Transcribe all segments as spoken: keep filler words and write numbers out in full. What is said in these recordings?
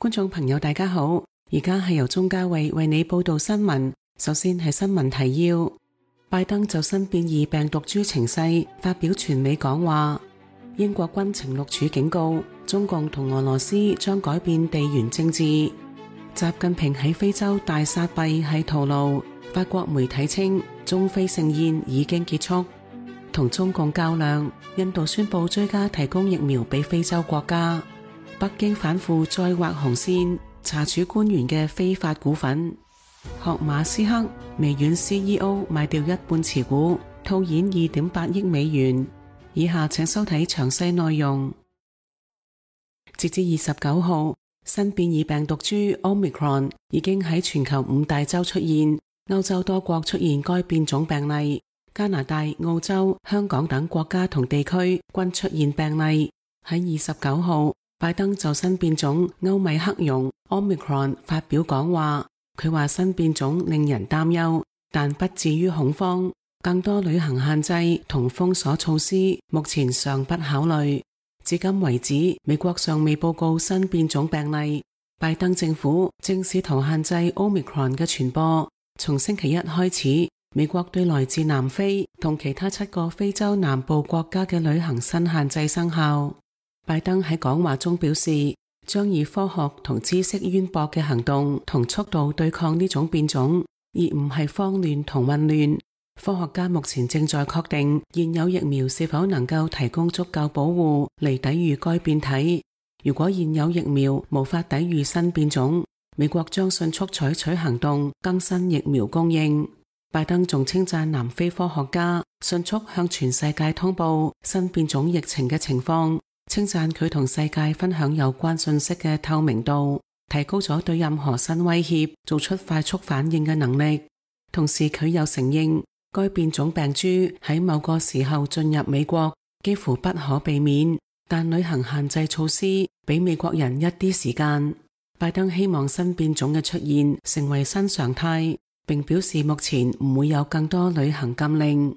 觀眾朋友大家好，而家係由鍾嘉慧為你報道新聞。首先係新聞提要：拜登就新變異病毒株情勢發表全美講話。英國軍情六處警告，中共同俄羅斯將改變地緣政治。習近平喺非洲大撒幣係徒勞。法國媒體稱，中非盛宴已經結束。同中共較量，印度宣布追加提供疫苗俾非洲國家。北京反腐再畫紅線，查處官員嘅非法股份。學馬斯克微軟 C E O 賣掉一半持股，套現二點八億美元。以下請收睇詳細內容。截至二十九號，新變異病毒株 Omicron 已經喺全球五大洲出現，歐洲多國出現該變種病例，加拿大、澳洲、香港等國家同地區均出現病例。喺二十九號，拜登就新變種歐米克戎 Omicron 發表講話，佢話新變種令人擔憂，但不至於恐慌。更多旅行限制同封鎖措施目前尚不考慮。至今為止，美國尚未報告新變種病例。拜登政府正試圖限制 Omicron 嘅傳播。從星期一開始，美國對來自南非同其他七個非洲南部國家嘅旅行新限制生效。拜登喺講話中表示，將以科學同知識淵博嘅行動同速度對抗呢種變種，而唔係慌亂同混亂。科學家目前正在確定現有疫苗是否能夠提供足夠保護嚟抵禦該變體。如果現有疫苗無法抵禦新變種，美國將迅速採取行動更新疫苗供應。拜登仲稱讚南非科學家迅速向全世界通報新變種疫情嘅情況。稱讚佢同世界分享有關信息嘅透明度，提高咗對任何新威脅做出快速反應嘅能力。同時佢又承認，該變種病株喺某個時候進入美國幾乎不可避免，但旅行限制措施俾美國人一啲時間。拜登希望新變種嘅出現成為新常態，並表示目前唔會有更多旅行禁令。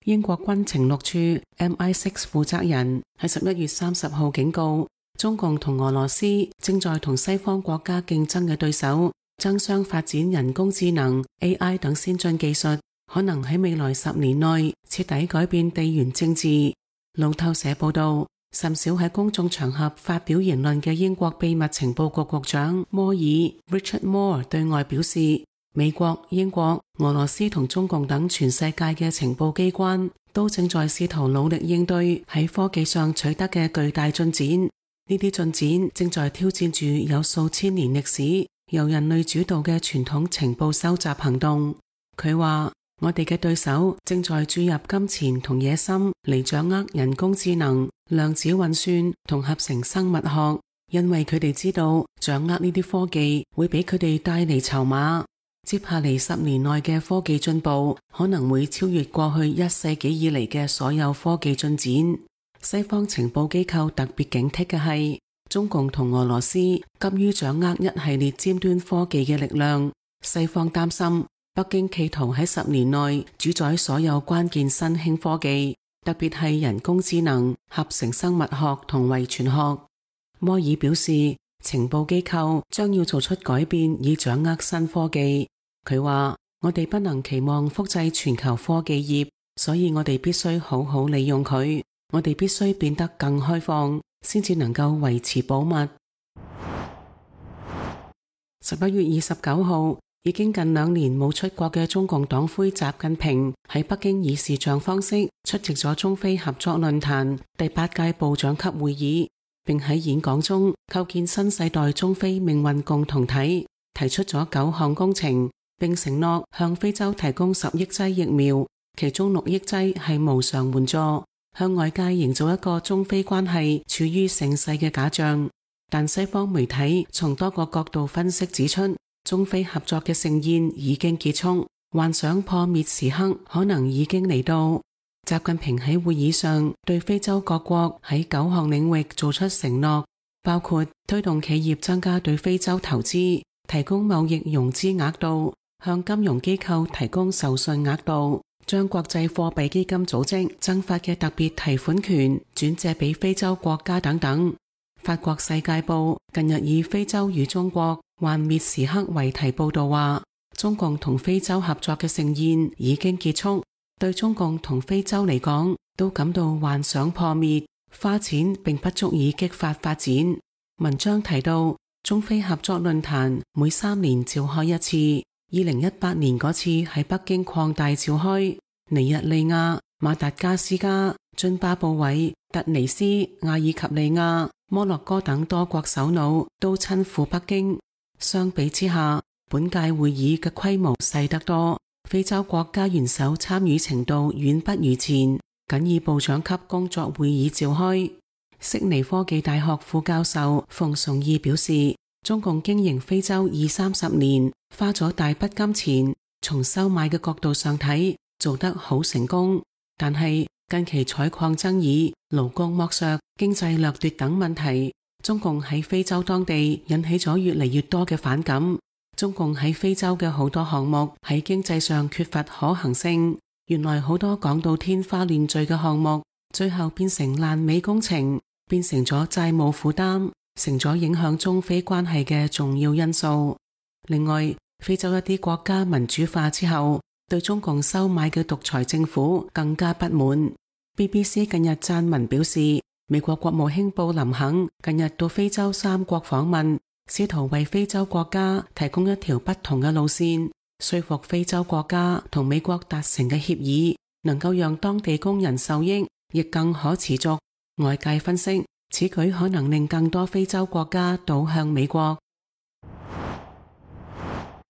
英國軍情六處 M I 六 負責人喺十一月三十號警告，中共同俄羅斯正在同西方國家競爭嘅對手爭相發展人工智能 A I 等先進技術，可能喺未來十年內徹底改變地緣政治。路透社報道，甚少喺公眾場合發表言論嘅英國秘密情報局局長摩爾 Richard Moore 對外表示，美國、英國、俄羅斯同中共等全世界嘅情報機關都正在試圖努力應對喺科技上取得嘅巨大進展。呢啲進展正在挑戰住有數千年歷史、由人類主導嘅傳統情報收集行動。佢話，我哋嘅對手正在注入金錢同野心嚟掌握人工智能、量子運算同合成生物學，因為佢哋知道掌握呢啲科技會俾佢哋帶嚟籌碼。接下嚟十年內嘅科技進步可能會超越過去一世紀以嚟嘅所有科技進展。西方情報機構特別警惕嘅係，中共同俄羅斯急於掌握一系列尖端科技嘅力量。西方擔心北京企圖喺十年內主宰所有關鍵新興科技，特別係人工智能、合成生物學同遺傳學。摩爾表示，情報機構將要做出改變以掌握新科技。佢話，我哋不能期望複製全球科技業，所以我哋必須好好利用佢。我哋必須變得更開放，先至能夠維持保密。十一月二十九號，已經近兩年冇出國嘅中共黨魁習近平喺北京以視像方式出席咗中非合作論壇第八屆部長級會議，並喺演講中構建新世代中非命運共同體，提出咗九項工程，並承諾向非洲提供十億劑疫苗，其中六億劑係無償援助，向外界營造一個中非關係處於盛世嘅假象。但西方媒體從多個角度分析指出，中非合作嘅盛宴已經結束，幻想破滅時刻可能已經嚟到。習近平喺會議上對非洲各國喺九項領域做出承諾，包括推動企業增加對非洲投資，提供貿易融資額度，向金融機構提供授信額度，將國際貨幣基金組織增發嘅特別提款權轉借俾非洲國家等等。法國世界報近日以非洲與中國幻滅時刻為題報道話，中共同非洲合作嘅盛宴已經結束，對中共同非洲嚟講都感到幻想破滅，花錢並不足以激發發展。文章提到，中非合作論壇每三年召開一次，二零一八年嗰次喺北京擴大召開，尼日利亞、馬達加斯加、津巴布韋、突尼斯、阿爾及利亞、摩洛哥等多國首腦都親赴北京。相比之下，本屆會議嘅規模細得多，非洲國家元首參與程度遠不如前，僅以部長級工作會議召開。悉尼科技大學副教授馮崇義表示，中共經營非洲二三十年，花咗大筆金錢，從收買嘅角度上睇，做得好成功。但係近期採礦爭議、勞工剝削、經濟掠奪等問題，中共喺非洲當地引起咗越嚟越多嘅反感。中共喺非洲嘅好多項目喺經濟上缺乏可行性，原來好多講到天花亂墜嘅項目，最後變成爛尾工程，變成咗債務負擔，成咗影響中非關係嘅重要因素。另外，非洲一啲國家民主化之後，對中共收買嘅獨裁政府更加不滿。B B C 近日撰文表示，美國國務卿布林肯近日到非洲三國訪問，試圖為非洲國家提供一條不同嘅路線，說服非洲國家同美國達成嘅協議能夠讓當地工人受益，亦更可持續。外界分析，此舉可能令更多非洲國家倒向美國。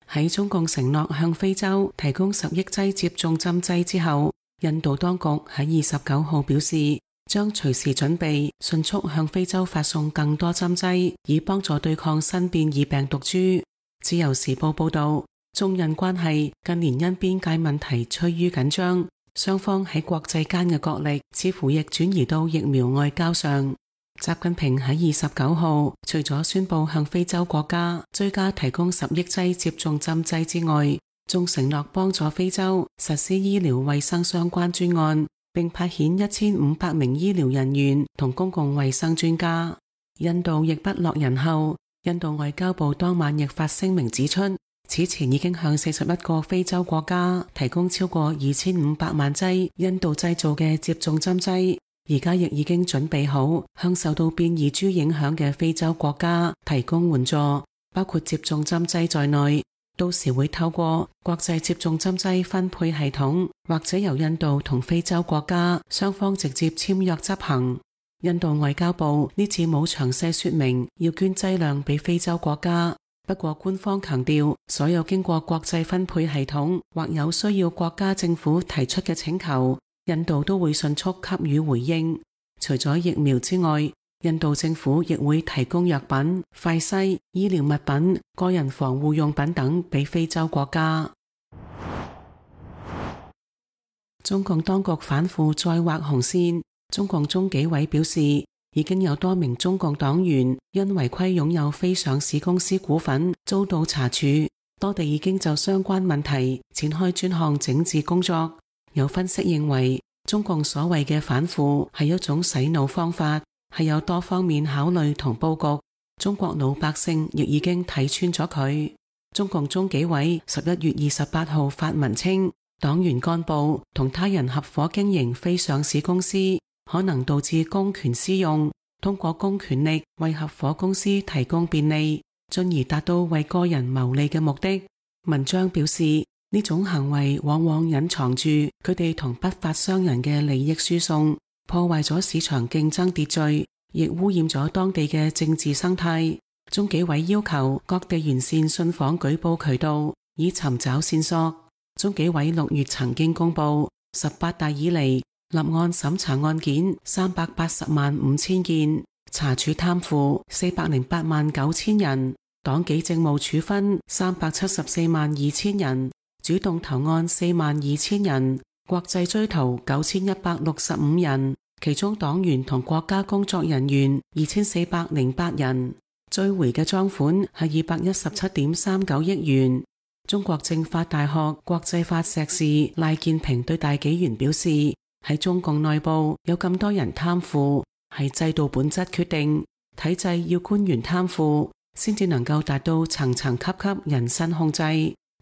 喺中共承諾向非洲提供十億劑接種針劑之後，印度當局喺二十九號表示，將隨時準備迅速向非洲發送更多針劑，以幫助對抗新變異病毒株。自由時報報道，中印關係近年因邊界問題趨於緊張，雙方喺國際間嘅角力似乎亦轉移到疫苗外交上。習近平喺二十九號除咗宣布向非洲國家追加提供十億劑接種針劑之外，仲承諾幫助非洲實施醫療衛生相關專案，並派遣一千五百名醫療人員同公共衛生專家。印度亦不落人後，印度外交部當晚亦發聲明指出，此前已經向四十一個非洲國家提供超過二千五百萬劑印度製造嘅接種針劑，而家亦已經準備好向受到變異株影響嘅非洲國家提供援助，包括接種針劑在內。到時會透過國際接種針劑分配系統，或者由印度同非洲國家雙方直接簽約執行。印度外交部呢次冇詳細說明要捐劑量俾非洲國家，不過官方強調，所有經過國際分配系統或有需要國家政府提出嘅請求，印度都會迅速給予回應。除咗疫苗之外，印度政府亦會提供藥品、快篩、醫療物品、個人防護用品等俾非洲國家。中共當局反腐再劃紅線，中共中紀委表示，已經有多名中共黨員因違規擁有非上市公司股份遭到查處，多地已經就相關問題展開專項整治工作。有分析認為，中共所謂嘅反腐係一種洗腦方法，係有多方面考慮同佈局，中國老百姓亦已經睇穿咗佢。中共中紀委十一月二十八號發文稱，黨員幹部同他人合夥經營非上市公司，可能導致公權私用，通過公權力為合夥公司提供便利，進而達到為個人牟利嘅目的。文章表示，呢種行為往往隱藏住佢哋同不法商人嘅利益輸送，破壞咗市場競爭秩序，亦污染咗當地嘅政治生態。中紀委要求各地完善信訪舉報渠道，以尋找線索。中紀委六月曾經公布，十八大以嚟立案審查案件三百八十萬五千件，查處貪腐四百零八萬九千人，黨紀政務處分三百七十四萬二千人，主動投案四萬二千人，國際追逃九千一百六十五人，其中黨員同國家工作人員二千四百零八人，追回嘅贓款係二百一十七點三九億元。中國政法大學國際法碩士賴建平對大紀元表示，喺中共內部有咁多人貪腐，係制度本質決定，體制要官員貪腐，先至能夠達到層層級級人身控制，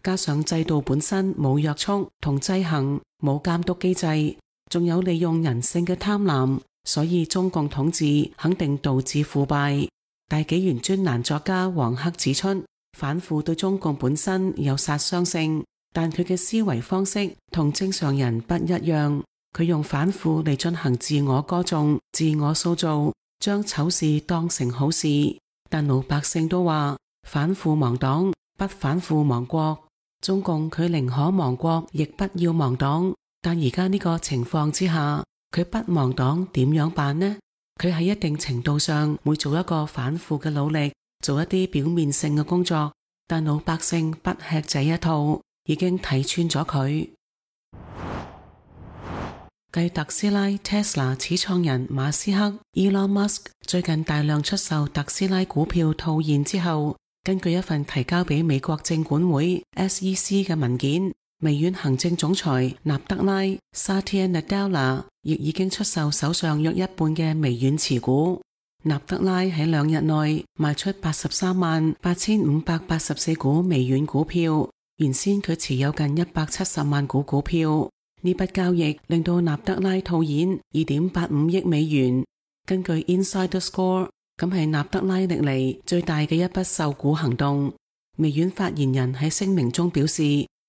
加上制度本身冇約束同制衡，冇監督機制，仲有利用人性嘅貪婪，所以中共統治肯定導致腐敗。大紀元專欄作家黃克指出，反腐對中共本身有殺傷性，但佢嘅思維方式同正常人不一樣，佢用反腐嚟進行自我歌頌、自我塑造，將醜事當成好事。但老百姓都話反腐亡黨，不反腐亡國。中共佢寧可亡國，亦不要亡黨。但而家呢個情況之下，佢不亡黨點樣辦呢？佢喺一定程度上會做一個反腐嘅努力，做一啲表面性嘅工作，但老百姓不吃這一套，已經睇穿咗佢。繼特斯拉 Tesla 始創人馬斯克 Elon Musk 最近大量出售特斯拉股票套現之後，根據一份提交俾美國證管會 S E C 嘅文件，微軟行政總裁納德拉 Satya Nadella 亦已經出售手上約一半嘅微軟持股。納德拉喺兩日內賣出八十三萬八千五百八十四股微軟股票，原先佢持有近一百七十萬股股票。呢筆交易令到納德拉套現 二點八五億美元。根據 Insider Score， 咁係納德拉歷嚟最大嘅一筆售股行動。微軟發言人喺聲明中表示，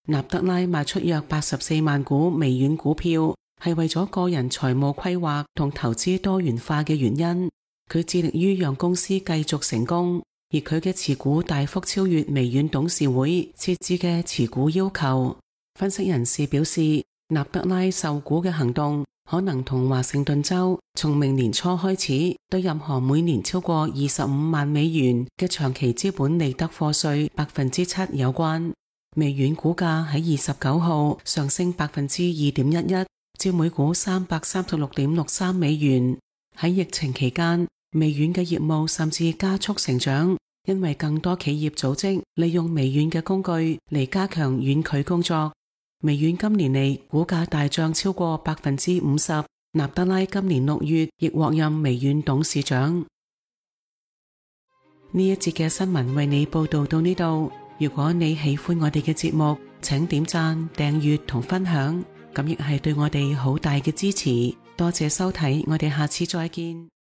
納德拉賣出約八十四萬股微軟股票，係為咗個人財務規劃同投資多元化嘅原因。佢致力於讓公司繼續成功，而佢嘅持股大幅超越微軟董事會設置嘅持股要求。分析人士表示，納德拉售股嘅行動可能同華盛頓州從明年初開始對任何每年超過二十五萬美元嘅長期資本利得課稅百分之七有關。微軟股價喺二十九號上升百分之二點一一，至每股三百三十六點六三美元。喺疫情期間，微軟嘅業務甚至加速成長，因為更多企業組織利用微軟嘅工具嚟加強遠距工作。微軟今年嚟股價大漲超過百分之五十，納德拉今年六月亦獲任微軟董事長。呢一節嘅新聞為你報道到呢度。如果你喜歡我哋嘅節目，請點讚、訂閱同分享，咁亦係對我哋好大嘅支持。多謝收睇，我哋下次再見。